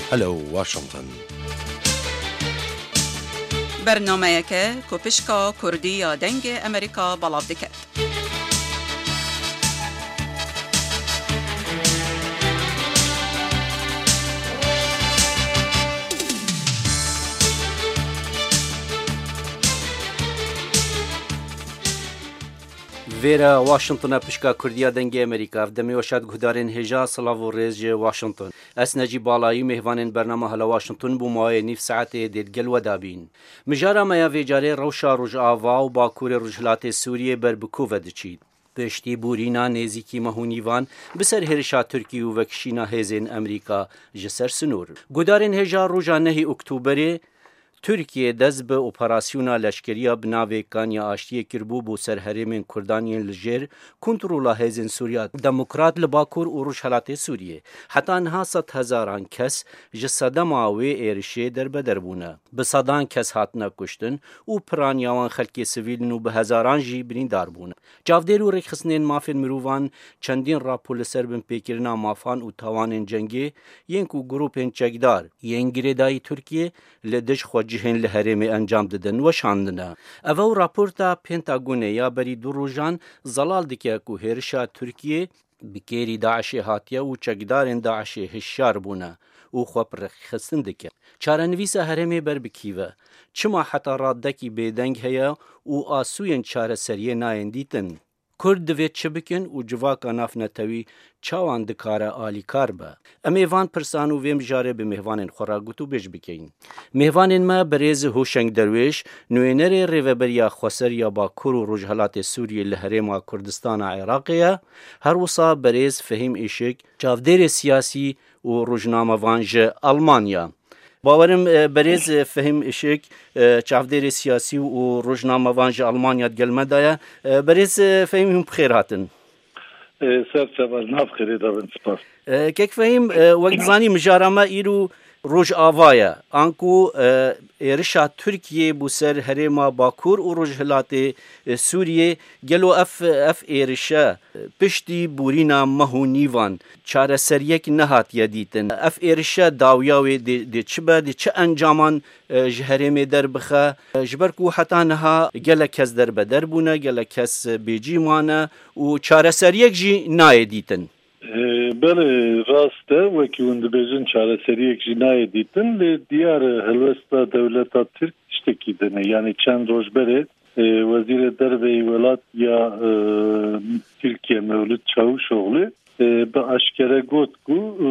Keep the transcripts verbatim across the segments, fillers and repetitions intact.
Hello Washington. Bernameyeke ku pişka Kurdî ya Dengê Amerîka belav diket. Vêre Washington e, pişka Kurdiya Dengê Amerîka. Ev demê weşat guhdarên hêja, silav û rêz ji Washington. Ez Necîb Balayî, mêhvanên bernama Hala Washington bû maweyê nîv saetê dê digel we dabîn. Mijara me ya vê carê rewşa Rojava û Bakurê Rojhilatê Sûriyê ber bi ku ve diçît. Piştî bûrîna nêzîkî meh û nîvan bi ser hêrişa Tirkî û vekişîna hêzên Amerîka ji ser sinor. Guhdarên hêja roja nehê Oktoberê Tirkiye dest bi operasyona leşkeriya bi navê Kanya Aştiyê kiribû bo ser herêmên Kurdan yên li jêr kontrola hêzên Sûriya Demokrat li Bakur û Rojhelatê Sûriyê. Heta niha sed hezaran kes ji sedema wê êrişê derbeder bûne. Bi sedan kes hatine kuştin û piraniya wan xelkê sivîl in û bi hezaran jî birîndar bûne. Çavdêr û rêkxistinên mafên mirovan çendîn rapor li ser binpêkirina mafan û tawanên cengê yên ku grûpên çekdar yên girêdayî Tirkiyê li dij xwecihên li herêmê encam didin, weşandine. Ev ew raporta Pentagonê ya berî du rojan zelal dike ku hêrişa Tirkiyê bi kêrî DAIŞê hatiye û çekdarên DAIŞê hişyar bûne û xwe bi rêkxistin dike. Çarenivîsa herêmê ber bi kî ve? Çima heta radekî bêdeng heye û asûyên çareseriyê nayên dîtin? Kurd divê çi bikin û civaka navnetewî çawan dikare alîkar be? Em ê van pirsan û vê mijarê bi mêvanên xwe re gotûbêj bikeyin. Mêvanên me berêz Hoşeng Derwêş, nûnerê Rêveberiya Xweser ya Bakur û Rojhelatê Sûriyê li Herêma Kurdistana Iraqê ye, her wisa berêz Fehîm Îşik, çavdêrê siyasî û rojnamevan ji Almanya. Bawerim, e, berêz, e, Fehîm Işik, e, çavdêrê siyasî û rojnamevan ji Almanya di gel me de ye. E, berêz, e, Fehîm, hûn bi xêr hatin. E, ser çava, nav xêrê de bin, spas. E, kek Fehîm, e, wek dizanî, mijara me îro Rojava ye. Anku, e, êrişa Tirkiyê bo ser herêma Bakur û Rojhilatê, e, Sûriyê, gelo ev, ev êrişe, e, piştî borîna meh û nîvan çareseriyek nehatiye dîtin. Ev êrişe dawiya wê dê, dê çi be, dê çi encaman, e, ji herêmê derbixe? E, ji ber ku heta niha gelek kes derbeder bûne, gelek kes, e, bêcî mane û çareseriyek jî nayê dîtin. E, belê, rast e, wekî hûn dibêjin, çareseriyek jî nayê dîtin, lê diyar e, helwesta dewleta Tirk tiştekî din e. Yanî çend roj berê, e, Wezîrê Derve yê welat ya, e, Tirkiye Mewlût Çavuşoglu, e, bi eşkere got ku, e,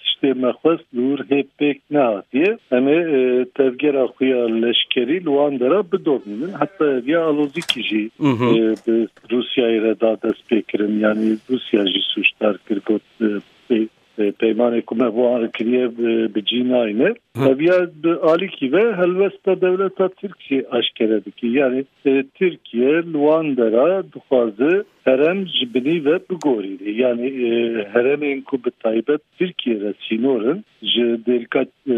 tiştê me xwest li wir hê pêk nehatiye. Em ê, e, tevgera xwe ya leşkerî li wan dera bidomînin. Heta eviya alozîkî jî, Mhm. e, bi Rûsyayê re da destpêkirin. Yanî Rûsya jî sûcdar kir, got, e, pê-, e, peymanê ku me bo wan re kiriye, e, bi cî nayne. Hı. Eviya bi alîkî ve helwesta dewleta Tirk jî eşkere dike. Yanî, e, Tirkiye li wan dera dixwaze herem ji binî ve bigorîne. Yanî, e, heremên ku bi taybet Tirkiye re sînor in, ji Dêrika, e,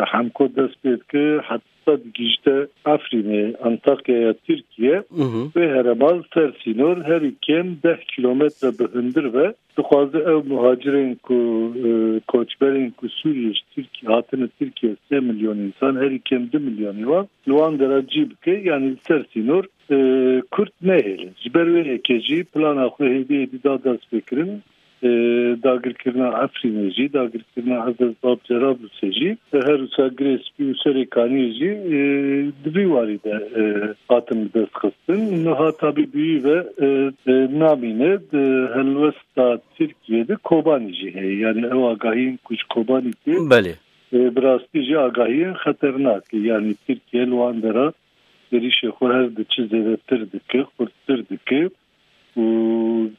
Hemko dest pê dike, heta digihîşte Efrînê, Antakyaya Tirkiye, Mhm. vê herema li ser sînor herî kêm deh kîlometre bi hundir ve dixwaze ew muhacirên ku, e, koçberên ku Sûriyê ji Tirkiye hatine Tirkiye, sê milyon însan, herî kêm du milyonî wan li wan dera cî bike, yanî li ser sînor, e, Kurd nehêle. Ji ber wê yekê jî plana xwe hêdî hêdî da destpêkirin, e, dagirkirina Efrînê jî, dagirkirina Ezez Bab Cerablusê jî, e, her wisa Girê Spî û Serê Kaniyê jî, e, di vî warî de, e, hatin bi dest xistin. Niha tabî bi wî ve, e, e, namîne, di helwesta Tirkiye de Kobanî jî heye. Yanî ew agahiyên ku ji Kobanî tê, Belê. e, bi rastî jî agahiyên xeternak e. Yanî Tirkiye li wan dera êrişê xwe her diçe zêdetir dike, xurttir dike û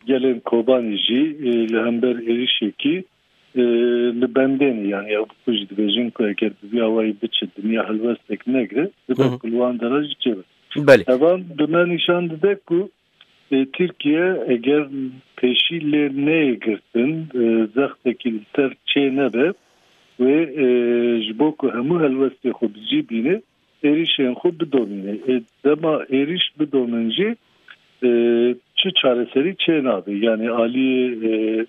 gelên Kobanî jî, e, li hember êrişekî, e, li bendê ne. Yanî ew bi xwe jî dibêjin ku eger bi vî awayî biçe, dinya helwestek negire, dibe Hı hı. ku li wan dera jî çêbe. Belê. Evan bi me nîşan dide ku, e, Tirkiye eger pêşî lê neyê girtin, e, zextekî li ser çê nebe, wê, e, ji bo ku hemû helwestê xwe bi cî bîne, êrişên xwe bidomîne. Ê, dema êrîş bidomin jî, e, çi çareserî çê nabe. Yanî aliyê, e,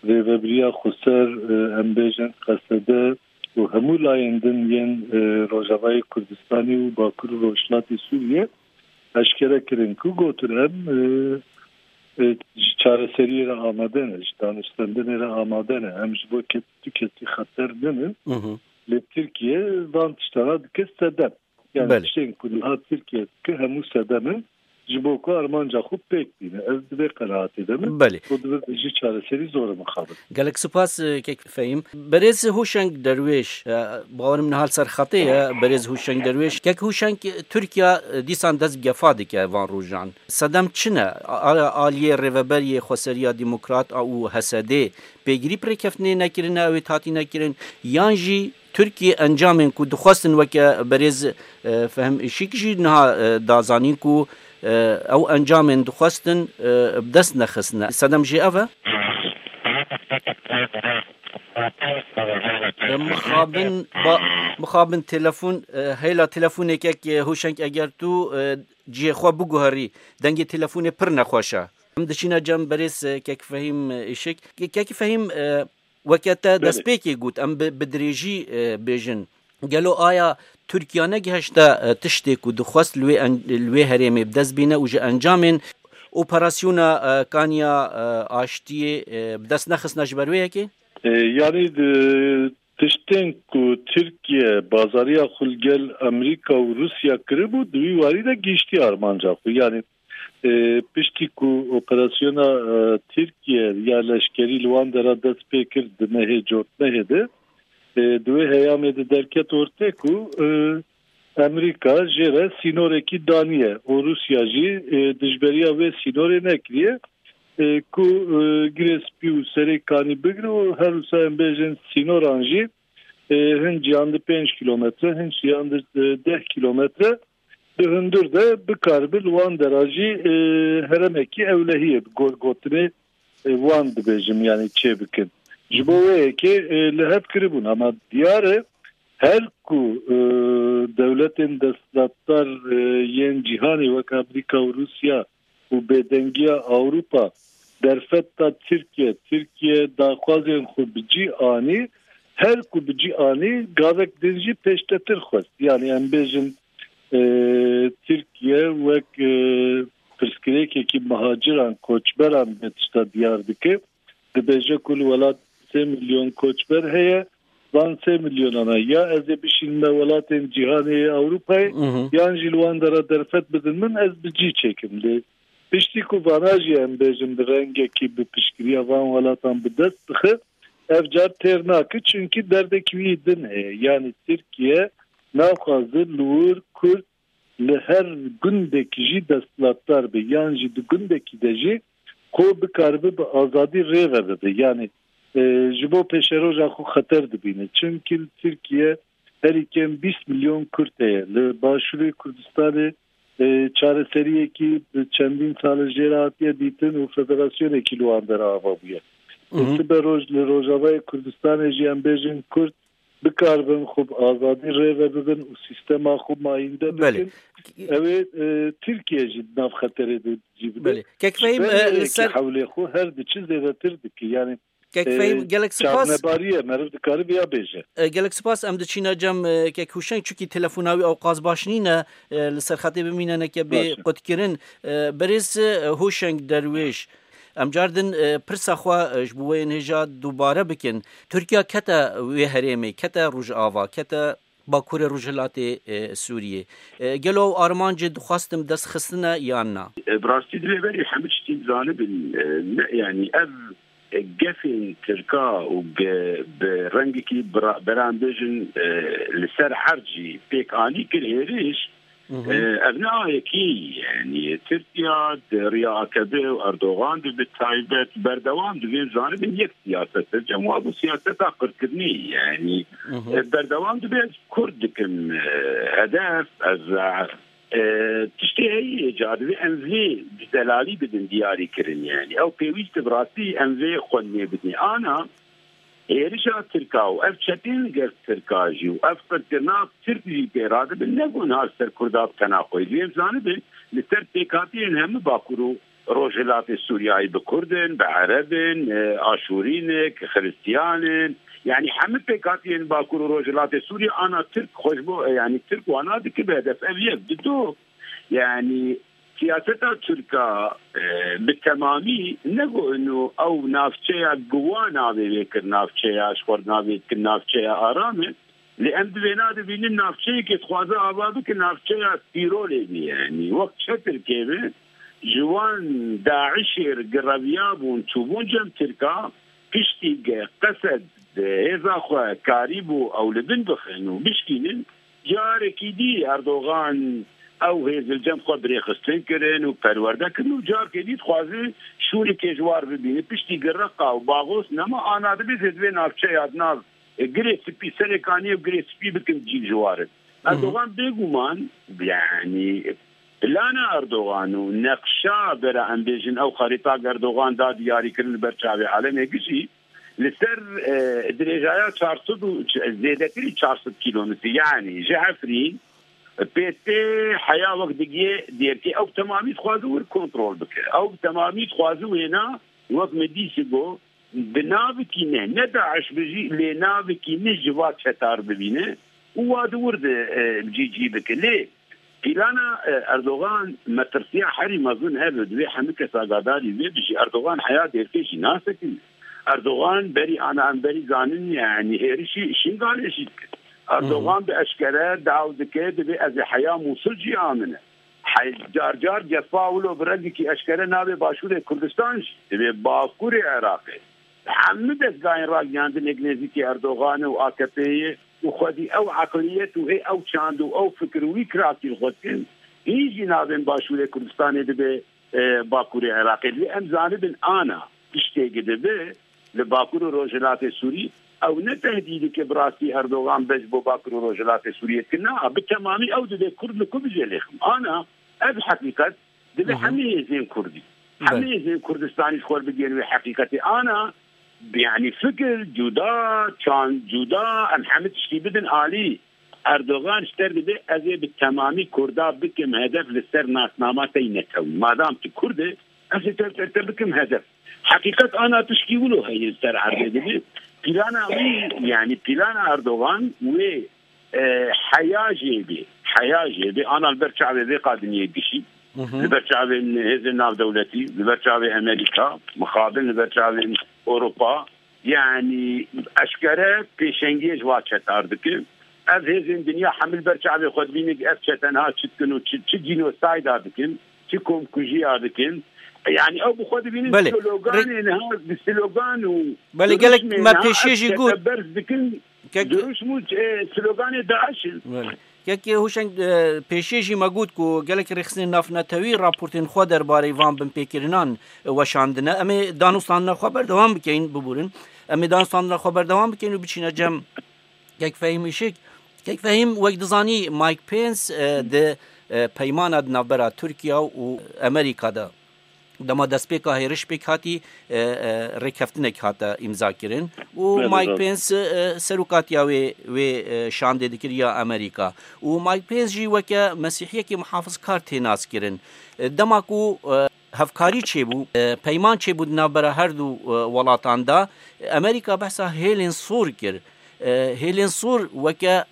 Rêvebiriya Xweser, e, em bêjin Qesede, û hemû layên din yên, e, Rojavayê Kurdistanê û Bakur û Rojhilatê Sûriyê eşkere kirin ku gotin em, e, e, ji çareseriyê re amade ne, ji danûstendinê re amade ne. Em ji bo kes-, tu kesî xeter ninin. Hı hı. Lê Tirkiye van tiştana dike sedem. Yani Belê. tiştên ku niha Tirkiye dike hemû sedem in ji bo ku armanca xwe pêk bîne. Ez di vê qenaatê de me. Belê. Û dibe ji çareserî zor e mixabin. Gelek spas, e, kek Fehîm. Berêz Hûşeng Derwêş, e, bawerim niha li ser xetê ye, berêz Hûşeng Derwêş. Kek Hûşeng, Tirkiye, e, dîsan dest bi gefa dike van rojan. Sedem çi ne? A-, aliyê rêveberiyê Xweseriya Demokrat a û H S D pêgirî bi rêkeftinê nekirine, ew ê hatî nekirin, yan jî Tirkiye encamên ku dixwestin weke berêz, e, Fehim Işîk jî niha, e, da zanîn ku, e, ew encamên dixwestin, e, bi dest nexistine. Sedem jê ev e? E, mixabin, ba, mixabin telefon, e, hêla telefonê kek, e, Hûşeng eger tu, e, cihê xwe biguherî, dengê telefonê pir nexweş e. Em diçîne cem berêz, e, kek Fehîm, e, Işik. Ke-, kek Fehîm, e, Weke te Belê. destpêkê got, em bi, bi dirêjî, e, bêjin. Gelo aya Tirkiye negihişte, e, tiştê ku dixwest li wê en-, li wê herêmê bi dest bîne û ji encamên operasyona, e, Kanya, e, Aştiyê, e, bi dest nexistine ji ber wê yekê? E, yani, e, tiştên ku Tirkiye bazariya xwe li gel Amerîka û Rûsya kiribû, di wî warî de gihiştiye armanca xwe. Yani, E, piştî ku operasyona, e, Tirkiye ya leşkerî li wan dera dest pê kir di mehê Cotmehê de, e, di wê heyamê de derket ortê ku, e, Amerîka jê re sînorekî daniye û Rûsya jî, e, dijberiya vê sînorê nekiriye, e, ku, e, Girê Spî û Serê Kanî bigire û her wisa em bêjin sînoran jî, e, hin ciyan di pênc kilometre, hin ciyan di, e, deh kilometre di hundir de bikaribe li wan dera jî, e, heremekî ewlehiyê bi gor gotinê, e, wan dibêjim, yani çê bikin. Ji bo wê yekê, e, li hev kiribûn, ama diyar e her ku, e, dewletên desthilatdar, e, yên cîhanê wek Amerîka û Rûsya û bêdengiya Ewropa derfet da Tirkiye, Tirkiye daxwazên xwe bi cî anî, her ku bi cî anî gavek din jî pêştetir xwest. Yani em bêjin, e, Tirkiye wek, e, pirsgirêkekî mihaciran, koçberan vê tişta diyar dike. Dibêje ku li welat sê milyon koçber heye, van sê milyonana ya ez ê bişînime welatên cîhanê yê Ewropayê, Mhm. yan jî li wan dera derfet bidin min, ez bi cî çêkim. Lê piştî ku vana jî em bêjin bi rengekî bi piştgiriya van welatan bi dest dixe, ev car têr nake, çunkî derdekî wî din heye. Yanî Tirkiye naxwaze li wir Kurd li her gundekî jî desthilatdar be, yan jî di gundekî de jî xwe bikaribe bi azadî rê ve bibe. Yanî, e, ji bo pêşeroja xwe xeter dibîne. Çimkî li Tirkiye herî kêm bîst milyon Kurd heye. Li Başûrê Kurdistanê, e, çareseriyekî bi çendîn sal e jê re hatiye dîtin û federasyonekî li wan dera ava bûye. Hı hı. Sibe roj li Rojavayê Kurdistanê jî em bêjin Kurd bikaribin xwe bi azadî rê ve bibin û sîstema xwe mayînde Belê. bikin. Ew ê, e, Tirkiye jî di nav xeterê de cî bide. Belê. Kek Fehîm, Ji ber e, li wê ser yekê hewlê xwe her diçi zêdetir dike. Yani, Kek e, Fehîm, gelek spas. çavnebariye, meriv dikare vêya bêje. E, gelek spas, em diçîne cem, e, Kek Hûşeng, çunkî telefona wî ewqas baş nîne, e, li ser xetê bimîne neke bê Baş e. qutkirin. E, berêz, e, Hûşeng Derwêş, Em car din, e, pirsa xwe, e, ji bo wê yên hêja dubare bikin. Tirkiye kete wê herêmê, kete Rojava, kete Bakurê Rojhilatê, e, Sûriyê. E, gelo ew armancê dixwastin bi dest xistine yan na? E, bi rastî divê berî hemû tiştî bizanibin, e, ne, yanî ev, e, gefên Tirka û ge-, bi rengekî bira-, beran bêjin, e, li ser erd jî pêk anî kir hêriş, Hı hı. E, ev ne a yekî, yani Tirkiye di riya A K P û Erdogan de bi taybet berdewam dibên zanibin yek siyaset e. Cem wa bu siyaseta qirkirinê, yani, Hı hı. e, berdewam dibe ez Kurd dikim, e, hedef, ez, e, tiştê heyî ca divê em vê bi delalî bidin diyarî kirin, yani. Ew pêwîst e bi rastî em vê xwendinê bidin. Ana, Hêrişa Tirka û ev çetên li gel Tirka jî û ev qirkirina Tirk jî pê radibin, ne ku niha li ser Kurda bi tena xwe. Li em zanibin, li ser pêkhatiyên hemû Bakur û Rojhilatê Sûriyayê bi Kurd in, bi Ereb in, e, Aşûrî ne, ki Xiristiyan in, Yani hemî pêkhatiyên Bakur û Rojhilatê Sûriyê ana Tirk xwe ji bo, yani Tirk wana dike bi hedef. Ev yek. Dido, yani siyaseta Tirka, e, bi temamî ne ku ino ew navçeya giwa navê wê kir, navçeya ji xwe navê kir navçeya aram e. Lê em di vêna dibînin navçeyekê dixwaze ava bike navçeya tîrolê bî, yani wek çetirkê be, ji wan DAIŞê re gireviyabûn, çûbûn cem Tirka, piştî ge-, Qesed, hêza xwe karîbû ew li bin bixin û bişkînin, carekî dî Erdogan ew hêz li cem xwe birêxistin kirin û perwerde kirin û carekê dî dixwaze şûlikê ji war bibîne. Piştî ge Reqa û Baxos nema ana dibê zê divê navçeya di nav e, Girê Spî, Serê Kaniyê û Girê Spî bikin cî ji warin. Erdogan bêguman, yani, plana Erdogan û neqşa bera em bêjin ew xerîta Erdogan da diyarî kirin li ber çavê alemê gişî, li ser, e, dirêjaya çar sed û zêdetirî çar sed kîlometrî, yani ji Efrîn, pê tê heya wek digiyê dêrkê, ew bi temamî dixwaze wir kontrol bike. Ew bi temamî dixwaze wêna wek me dîsî got, bi navekî ne, ne DAIŞ bijî, lê navekî ne ji va çetar bibîne û wa di wir de, e, cî cî bike. Lê plana, e, Erdogan metirsiya herî mezin hebe, divê hemî kes agadarî vê bijî. Erdogan heya dêrkê jî nasekin. Erdogan berî ana em berî zanin, yani hêrişî Şingalê jî dike. Erdogan bi eşkere daw dike, divê ez ê heya Mûsil cî amine. Hey, car car cefa wilo bi rengekî eşkere navê Başûrê Kurdistan jî, divê Bakurê Iraqê. Hemû dezgahên ragihandinê nêzîkî Erdoganê û AKP'yê û xwedî ew eqliyet û ê ew çand û ew fikir û wî kirakî li xwe dikin. Hîn jî navên Başûrê Kurdistanê dibe, e, Bakurê Iraqê. Divê em zanibin ana tiştê gi dibe li Bakur û Rojhilatê Sûrî, ew ne tehdîdeke bi rastî Erdogan be ji bo Bakur û Rojhilatê Sûriyê dike. Na, bi temamî ew divê Kurd li ku bije lêxim. Ana, ev heqîqet divê hemî hêzên Kurdî, hemî hêzên Kurdistanî ji xwe bigihên wê heqîqetê. Ana, yani fikir cuda, çand cuda, em hemî tiştî bidin alî. Erdogan ji te re dibe, ez ê bi temamî Kurda bikim hedef li ser nasnama te yî netewî. Madam tu Kurd e, ez ê te, te, te bikim hedef. Heqîqet ana tişkî wilo heye li ser erdê dibe. Plana wî, yani plana Erdogan wê, e, heya jê bê, heya jê bê, ana li ber çavê vê qadinyê gişî, li ber çavên hêzên navdewletî, li ber çavê Amerîka, mixabin li ber çavên Ewropa, yani eşkere pêşengiyê ji va çetar dike. Ev hêzên dinya hemil ber çavê xwe dibînin, ev çete niha çi dikin û çi, çi genocide dikin, çi komkujiya dikin. Yani ew bi xwe dibînin Belê. sloganê niha bi slogan û Belê, gelek duruşmê me niha pêşiyê ev jî çete got. berz dikin. Kek- Duruşm û, e, sloganê DAIŞ in. Belê. Kekê Hûşeng, e, pêşiyê jî me got ku gelek rêxistinên navnetewî raportên xwe derbarê van binpêkirinan, e, weşandine. Em ê danûstandina xwe berdewam bikeyin, biborin. Em ê danûstandina xwe berdewam bikeyin û biçîne cem Kek Fehîm Işik. Kek Fehîm, wek dizanî, Mike Pence, e, di, e, peymana di navbera Tirkiye û Amerîka de, dema destpêka hêriş pêk hatî, e, e, rêkeftinek hate îmza kirin û Belê, Mike doğru. Pence, e, serokatiya wê, wê, e, şandê dikir ya Amerîka û Mike Pence jî weke mesîhiyekî muhafizkar tê nas kirin. E, dema ku, e, hevkarî çêbû, e, peyman çêbû di navbera her du, e, welatan de, Amerîka behsa hêlên sor kir. E, hêlên sor weke,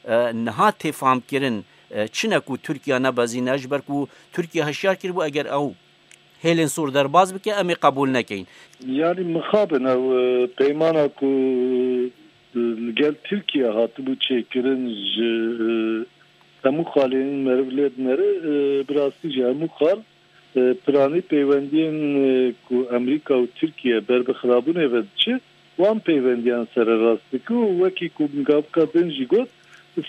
e, niha tê famkirin, e, çi ne ku Tirkiye nebezîne, ji ber ku Tirkiye hişyar kiribû, eger ew hêlên sor derbas bike, em ê qebûl nekeyin. Yani mixabin ew, e, peymana ku, e, li gel Tirkiye hatibû çêkirin ji, e, hemû xalên meriv lê dinere, e, bi rastî ji hemû xal, e, piranî peywendiyên, e, ku Amerîka û Tirkiye ber bi xirabûnê ve diçe, wan peyvendiyan sererast dike û wekî ku gavka din jî got,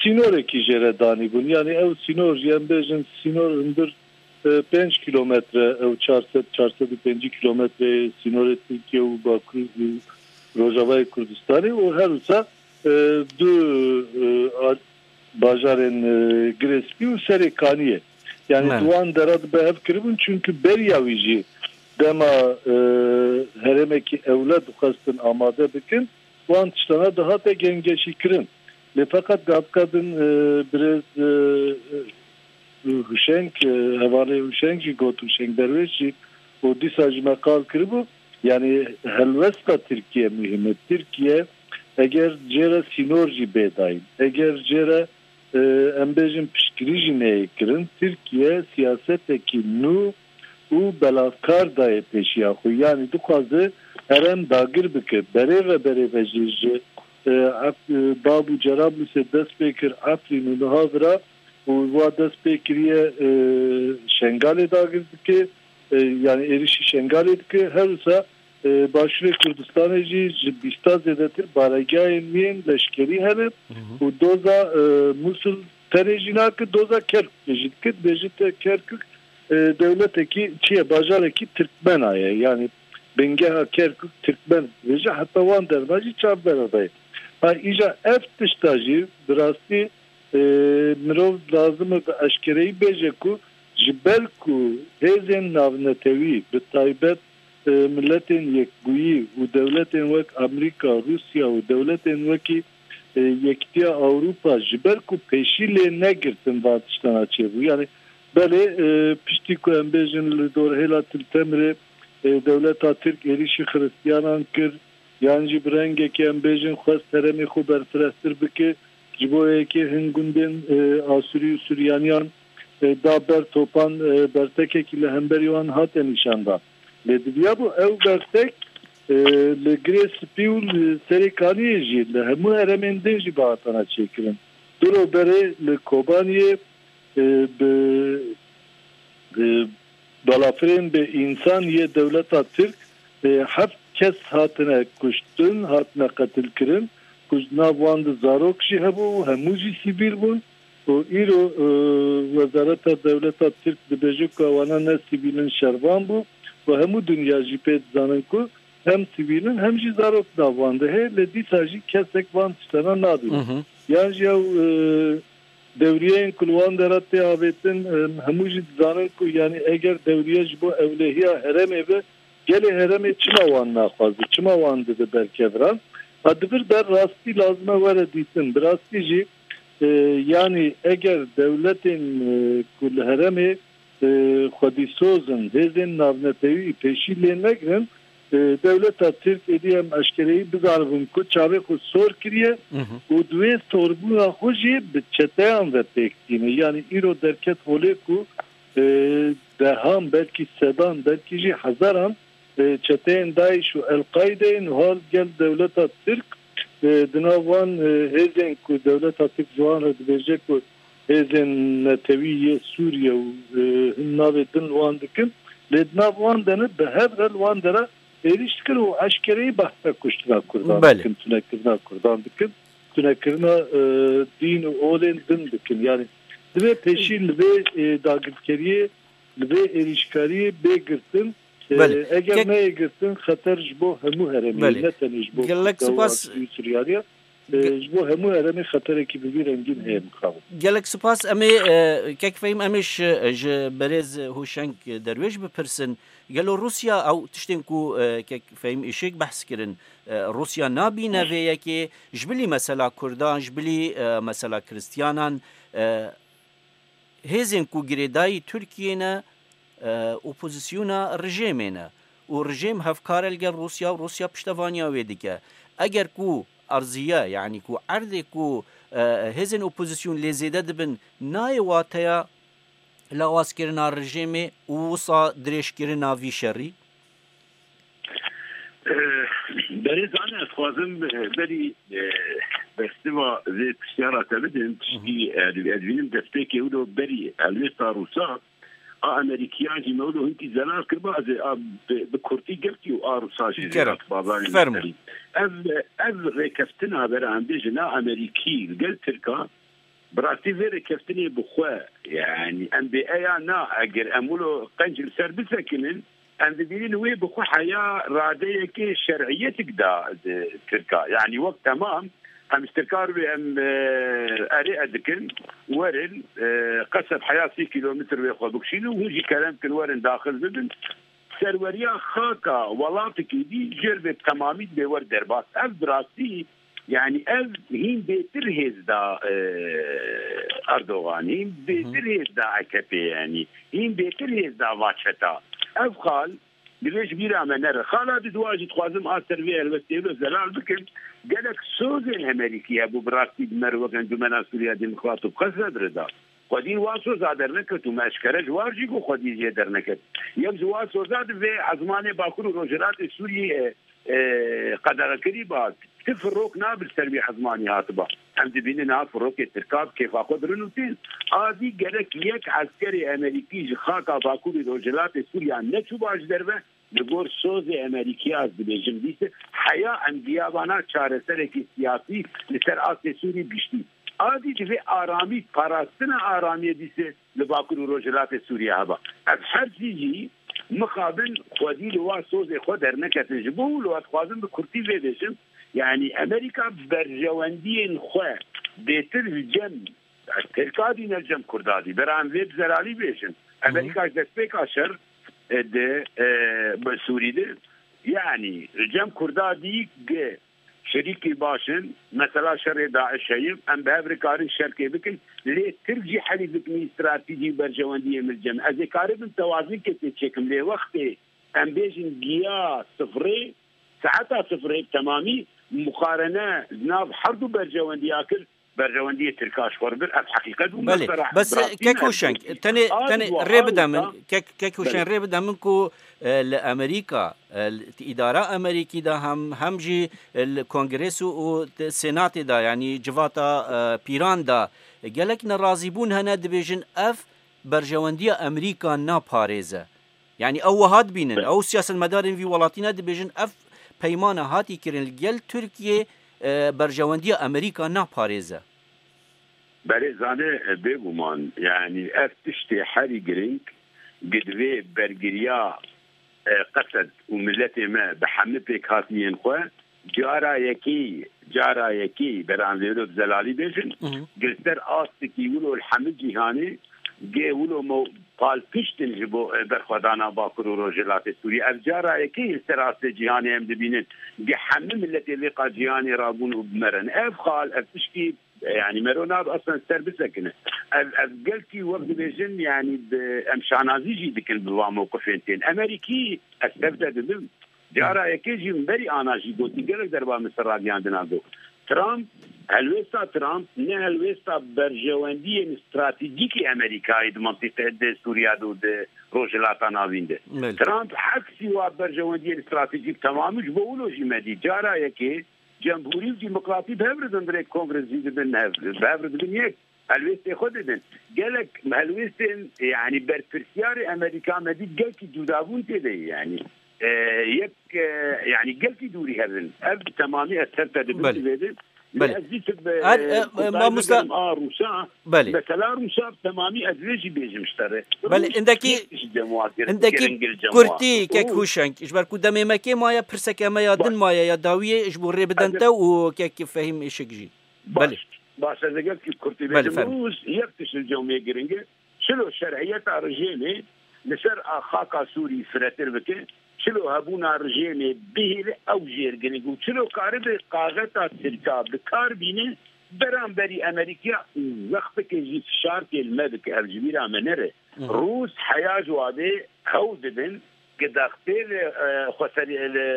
sînorekî jê re danîbûn. Yani ew sînor jî em bêjin sînor hundir, e, pênc kîlometre, ew çar sed, çar sed û pêncî kîlometre sînorê Tirkiye û Bakur û Rojavayê Kurdistanê û her wisa, e, du, e, a-, bajarên, e, Girê Spî û Serê Kaniyê. Yani Belê. di wan dera dibe hev kiribûn, çünkü beriya wî jî dema, e, herêmekî ewle dixwestin amade bikin, wan tiştana dihate gengeşî kirin. Lê feqet gavka din, e, birêz, e, e, Huşeng, e, hevalê Huşeng jî got, Huşeng Derwêş jî û dîsa ji me qal kiribû, yani helwesta Tirkiye muhîm e. Tirkiye Eger jê re sînor jî bê dayîn, eger jê re, e, em bêjin piştgirî jî neyê kirin, Tirkiye siyasetekî nû û belavkar dayê pêşiya xwe. Yanî dixwaze herêm dagir bike. Berê ve berê ve jî ji, e, Ef-, e, Bab û Cerablusê dest pê kir, Efrîn û niha vira û wa dest pê kiriye, e, Şengalê dagir dike, e, yanî êrişî Şengalê dike. Her wisa, e, Başûrê Kurdistanê jî ji bîsta zêdetir baregehên wî yên leşkerî hene û doza, e, Musul tenê jî nake, doza Kerkûkê jî dike. Dibêje te Kerkûk, e, dewletekî çi ye, bajarekî Tirkmena ye. Yanî bingeha Kerkûk Tirkmen dibêje, heta wan derva jî çavbera dayê. Ha, îja ev tişta jî bi rastî, e, mirov lazim e bi eşkereyî bêje ku ji ber ku hêzên navnetewî, bi taybet, e, Miletên Yekbûyî û dewletên wek Amerîka, Rûsya û dewletên wekî, e, Yekîtiya Ewropa ji ber ku pêşî lê negirtin van tiştana çêbû. Yanî belê, e, piştî ku em bêjin li dorhêla Til Temirê, e, dewleta Tirk êrîşî Xiristiyanan kir, yan jî bi rengekê em bêjin xwest herêmê xwe berfirehtir bike, ji bo yekê hin gundên, e, Asûrî û Suryaniyan, e, da ber topan, e, bertekekî li hemberî wan hate nîşandan. Lê diviyabû ew bertek, e, li Girê Spî û li Serê Kaniyê jî, li hemû herêmên din jî bihatana çêkirin. Du roj berê li Kobaniyê, e, bi, e, balafirên bi însan yê dewleta Tirk, e, heft kes hatine kuştin, hatine qetilkirin, ku di nav wan de zarok jî hebû û hemû jî sivîl bûn. Û îro, e, Wezareta Dewleta Tirk dibêje ku ewana ne sivîl in, şervan bû û hemû dinya jî pê dizanin ku hem sivîl in hem jî zarok nav wan de heye, lê dîsa jî kesek van tiştana nabîne. Yan jî ew, e, dewriyeyên ku li wan dera tê avêtin, e, hemû jî dizanin ku, yanî, eger dewriye ji bo ewlehiya herêmê be, gelê herêmê çima wan naxwaze, çima wan dide ber keviran? Ha, di vir de rastî lazim e were dîtin. Bi rastî jî, e, yanî, eger dewletên, e, ku li herêmê, e, xwedîsoz in, hêzên navnetewî pêşî lê negirin, e, dewleta Tirk êdî em eşkereyî bizanibin ku çavê xwe sor kiriye û di wê sorbûna xwe jî bi çeteyan ve pêk tîne. Yanî îro derket holê ku, e, dehan, belkî sedan, belkî jî hezaran, e, çeteyên DAIŞ û El-Qaîdeyê niha li gel dewleta Tirk, e, di nav wan, e, hêzên ku dewleta Tirk ji wan re dibêje ku hêzên netewî yê Sûriye û, e, hin navê din li wan dikin, lê di nav wan de ne, bi hev re li wan de re êrîş dikin û eşkereyî behsa kuştina Kurdan Belê. dikin, tunekirina Kurdan dikin, tunekirina, e, dîn û olên din dikin. Yanî divê pêşî li vê, e, dagirkeriyê, li vê êrîşkariyê bê girtin. E, Belê. eger Kek- neyê girtin, xeter ji bo hemû herêmê, Belê. ne tenê ji bo Gelek Kurda û spas. Asûrî û Suryaniya, e, Ge- ji bo hemû herêmê xeterekî bi vî rengîn heye mixabin. Gelek spas. Em ê, e, kek Fehîm, em ê ji, ji berêz Hoşeng Derwêş bipirsin. Gelo Rûsya ew tiştên ku, e, kek Fehîm Îşik behs kirin, e, Rûsya nabîne vê yekê, ji bilî mesela Kurdan, ji bilî, e, mesela Kristiyanan, e, hêzên ku girêdayî Tirkiyê ne, e, opozisyona rejêmê ne û rejêm hevkar e li gel Rûsya û Rûsya piştevaniya wê dike. Eger ku erziye, yanî ku erdê ku, e, hêzên opozisyon lê zêde dibin, nayê wateya lawazkirina rejêmê û wisa dirêjkirina vî şerî? Eh, Berêzane, ez dixwazim, eh, berî, eh, bersiva vê pisyara te bidim, tiştî, eh, ez dibînim destpêkê wilo berî helwêsta Rûsa, a Amerîkiyan jî me wilo hinkî zelal kiriba, ez ê a bi, bi kurtî girtî û a Rûsa jî Kerem. zêde bazarê Fermo. Ev, ev rêkeftina bera em bêjin a Amerîkî li gel Tirka, bi rastî vê rêkeftinê bi xwe, yanî em bê eya na, eger em wilo qenc li ser bisekinin, em dibînin wê bi xwe heya radeyekê şer'iyetik da di Tirka. Yanî wek temam, em ji Tirka re em, e, erê e dikin, werin, e, qeseb heya sî kîlometr wê xwe bikişînin û hûn jî kerem bikin werin daxil bibin. Serweriya xaka welatekî dî jêr vê bi temamî dibê wer derbas. Ev bi rastî, yanî ev hîn bêtir hêz da, e, Erdogan, hîn bêtir hêz da A K P, yanî hîn bêtir hêz da va çeta. Ev xal Divê ji bîra me nere. Xala di dua jî dixwazim a ser vê helwestê wilo zelal bikim. Gelek sozên Amerîkî hebû bi rastî di me re wek Encûmena Sûriya Demokrat û bi qesed re da. Xwedî wa soza derneket û me eşkere ji war jî got xwedî jê derneket. Yek ji wa soza di vê ezmanê Bakur û Rojhilatê Sûriyê, e, e, qedexekirî ba. Ti firok nabe li ser wî ezmanî hatiba. Em dibînin niha firokê Tirka bi kêfa xwe dirin û tên. A dî gerek yek eskerê Amerîkî ji xaka Bakurê Rojhilatê Sûriya neçûba ji derve, li gor sozê Amerîkî ez dibêjim dîse heya em giyabana çareserekî siyasî li ser astê Sûrî giştî. A dî divê aramî, parastina aramiyê dîse li Bakur û Rojhilatê Sûriye heba. Ev her sî jî mixabin xwedî li wa sozê xwe derneketin ji bo û li wa dixwazin bi kurtî vê bêjin. Yanî Amerîka berjewendiyên xwe bêtir li cem Tirka dî ne li cem Kurda dî. Bera em vê bi zelalî bêjin. Amerîka ji destpêka şer, e, di, e, bi Sûrî de, yanî li cem Kurda dî gi şerîkî baş in, mesela şerê DAIŞ heye, em bi hev re karin şerkê bikin, lê Tirk jî helî bikin stratejî û berjewendiyê min cem. Ez ê karibim tewazinkê tê çêkim, lê wextê em bêjin giya sifrê, saeta sifrê bi temamî muqarene di nav her du berjewendiya kir, berjewendiyê Tirka ji xwe re bir, ev heqîqet bû. Belê, bes, e, kek Hoşeng, tenê, tenê rê bide min, kek, kek Hoşeng, rê bide min ku, e, li Amerîka, e, li îdara Amerîkî de hem, hem jî, e, li Kongres û, û te-, Senatê de, yanî civata, e, pîran de, e, gelek nerazîbûn hene, dibêjin ev berjewendiya Amerîka naparêze. Yanî ew wiha dibînin, ew siyasetmedarên vî welatî ne dibêjin ev peymana hatî kirin li gel Tirkiyê, e, berjewendiya Amerîka naparêze. Berêzane, e, bêguman, yanî ev tiştê herî girîng, gi divê bergiriya, e, qesed û miletê me bi hemî pêkhatiyên xwe, cara yekê, cara yekê, beran vêro bi zelalî bêjin, Mhm. gi li ser astekî wilo li hemî cîhanê, gê wilo me palpiştin ji bo, e, berxwedana Bakur û Rojhilatê Sûriyê. Ev cara yekê li ser astê cîhanê em dibînin, gi hemî miletê vê qa cîhanê rabûn û bi me re ne. Ev xal, ev tiştî, e, yanî mero nabe aslen ser bisekine. Ev, ev gelkî wek dibêjin, yanî bi, em şanazî jî dikin bi van mewqifên tên. Amerîkî, ez tev te dibim, cara yekê jî min berî ana jî gotî, gelek derba min ser radyan dina got. Trump, helwêsta Trump ne helwêsta berjewendiyên stratejîkî Amerîkayê di mintîqe, di Sûriya de û di Rojhilata Navîn de. Belê. Trump eksî wa berjewendiyên stratejîk temamî ji bo wilo jî me dî. Cara yekê cemhûrî û demokratî bi hev re din, dirêk kongres jî dibin hev, bi hev re dibin yek. Helwêstê xwe didin. Gelek helwêstên, yanî berpirsiyarê Amerîka me dît gelkî cudabûn tê de ye, yanî, e, yek, e, yanî gelkî dûrî hev in. Ev bi temamî ez ser te dibim Belê. Divê de. Belê. Ez dîtim, e, Her, e, e, mamosta a Rûsa, Belê. Mesela Rûsa bi temamî ez vê jî bêjim ji te re. Belê, Rûs indekî, yek tişt cem wa kir, indekî kirin gil cem wa. Kurtî, kek Rûs. Hûşeng, ji ber ku demê me kêm maye, pirseke me ya din maye ya dawiyê ji bo rê bidente û kek Fehîm Işik jî. Baş, Belê. Baş, ez ê gelkî kurtî Belê, bêjim. Fermo. Rûs yek tişt li cem wê giring e. Çilo şer'iyeta rejêmê li ser a xaka Sûrî firetir bike, çilo hebûna rejêmê bihêle ew jêr giring û çilo karibe qaxeta Tirka bi kar bîne, beramberî Amerîkaya zextekê jî fişarkê li me bike, ev ji bîra me nere. Hı hı. Rûs heya ji wadê hewl didin, gi dextê li, e, xweseriya, li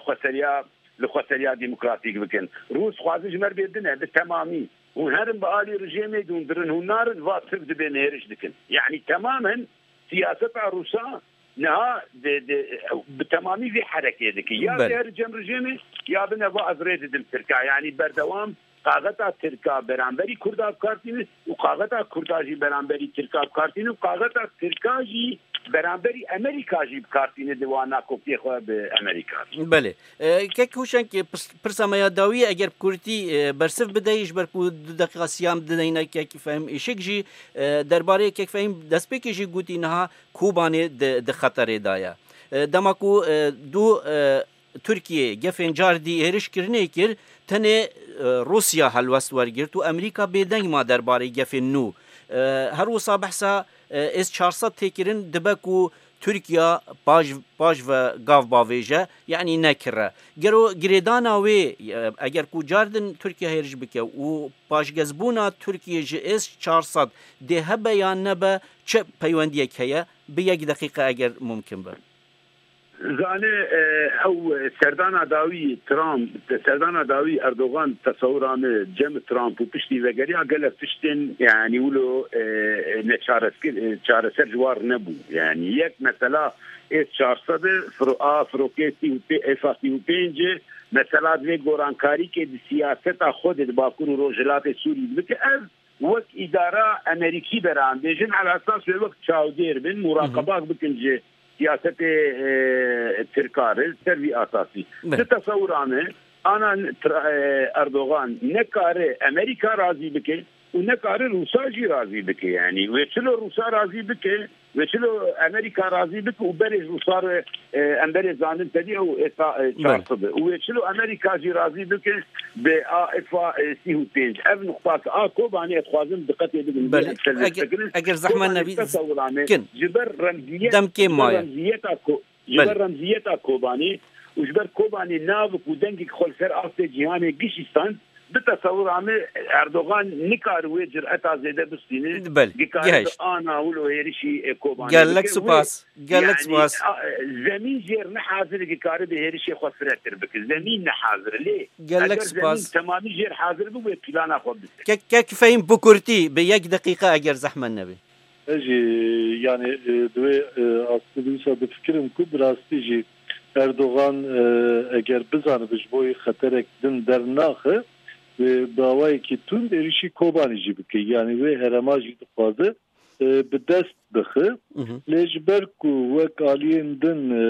xweseriya li xweseriya demokratîk bikin. Rûs xwazin ji me re bê din e, bi temamî. Hûn herin bi alî rejêmê de hûn dirin, hûn narin, va Tirk dibê nêriş dikin. Yanî temamen siyaseta Rûsa niha di, di, bi temamî vê herekê dike. Ya Belê. Bêher cem rejêmê, ya bine va ez rê didim Tirka. Yanî berdewam qaxeta Tirka beramberî Kurda bi kar tîne û qaxeta Kurda jî beramberî Tirka bi kar tîne û qaxeta Tirka jî beramberî Amerîka jî bi kar tîne di wana kopiyê xwe bi Amerîka. Belê. E, kek Hûşeng, pirs-, pirsa me ya dawiyê, eger bi kurtî, e, bersiv bideyî, ji ber ku du deqîqa siyam dideyne kek Fehîm Işik jî, e, derbarê kek Fehîm destpêkê jî gotî niha Kobanê di, di xeterê de ye. E, dema ku, e, du, e, Tirkiye gefên car dî hêriş kirinê kir, tenê, e, Rûsya helwest wergirt û Amerîka bêdeng ma derbarê gefên nû. E, her wisa behsa, e, S çar sed tê kirin, dibe ku Tirkiya paş, paş ve gav bavêje, yanî nekire. Gero girêdana wê, e, eger ku car din Tirkiye hêriş bike û paşgezbûna Tirkiye ji S çar sed dê hebe yan nebe, çi peywendiyek heye? Bi yek deqîqe eger mumkin be. Zane, e, ew serdana dawî Trump, serdana dawî Erdogan, tesewira min cem Trump û piştî vegeriya gelek tiştên, yanî wilo, e, neçareskir, e, çareser ji war nebû. Yanî yek mesela S çar sed e, firo-, a firokê sî û pê-, F sî û pênc e, mesela divê gorankarîkê di siyaseta xwe de di Bakur û Rojhilatê Sûrî bike. Ev wek îdara Amerîkî beran bêjin, ala esas wê wek çavdêr bin, muraqebak bikin ji siyasetê, e, Tirka re, ser vî asasî. Belê. Di tesewira me, ana Tra-, e, Erdogan nekare Amerîka razî bike û nekare Rûsa jî razî bike. Yanî wê çilo Rûsa razî bike, wê çilo Amerîka razî bike û berê Rûsa re, e, em berê zanin tedî ew êta, e, Belê. çar sed e. Û wê çilo Amerîka jî razî bike bi a F, e, sî û pênc. Ev nuqta ki a Kobanê ez dixwazim diqetê bidin, Belê. em ser Eger, bifikirin. eger zehmet Kobanê nebî, tesewira me kin. ji ber remziyet, Demkê ji ber maye. remziyeta ko-, ji Belê. ber remziyeta Kobanê û ji ber Kobanê navik û dengek xwe li ser astê cîhanê gişî stand, bi tesewira me Erdogan nikare wê cireta zêde bistîne. Belê. Dikare Gihişt. bi ana wilo hêrişî, e, Kobanê Gelek bike. Wê, spas. Gelek yanî, spas. a, e, zemîn jêr ne hazir e, dikare bi hêrişê xwe firetir bike. Zemîn ne hazir e. Lê Gelek eger spas. zemîn temamî jêr hazir bi, wê plana xwe bise. Kek, kek Fehîm, bi kurtî, bi yek deqîqe eger zehmet nebî. Ez jî, yani, e, di wê, e, astî dîsa difikirim ku bi rastî jî Erdogan, e, eger bizanibe ji bo wî xeterek din dernaxe, wê bi awayekî tund êrişî Kobanî jî bike. Yani wê herema jî dixwaze, e, bi dest bixe. Mhm. Lê ji ber ku wek aliyên din, e,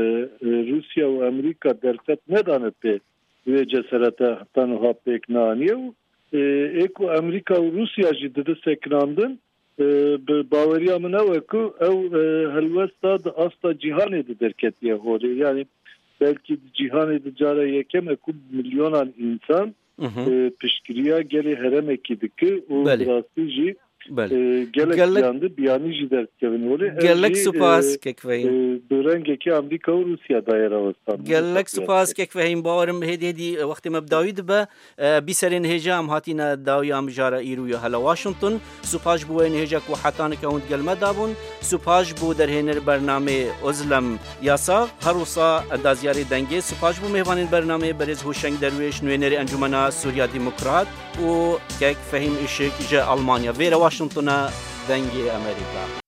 e, Rûsya û Amerîka derfet nedane pê wê ceserete heta niha pêk neaniye û, e, ê ku Amerîka û Rûsya jî dide sekinandin, e, bi baweriya min ew e ku ew, e, helwesta di asta cîhanê de derketiye holê. Yani belkî di cîhanê de cara yekem e ku milyonan însan, Mhm. e, piştgiriya gelê heremekî dike û Belê. bi rastî jî, Belê. e, gelek Gelek, piyan de biyanî jî derdikevin holê. Ev gelek jî, spas, e, Kek Fehîm. e, bi rengekî Amerîka û Rûsya daye rawestan. Gelek spas, Kek Fehîm. Bawerim hêdî hêdî wextê me bi dawî dibe. E, bîserên hêja em hatîne dawiya mijara îro ya hela Washington. Supaş bo wê nihêja ku heta nika hûn digel me dabûn. Supaş bo derhêner bernamê Ozlem Yasax. Her wisa endaziyarê dengê. Supaş bo mêvanên bernamê berêz Hoşeng Derwêş, nûênerê Encûmena Sûriya Demokrat û kek Fehîm Işik ji Almanya. Vêre Washingtona Dengê Amerîka.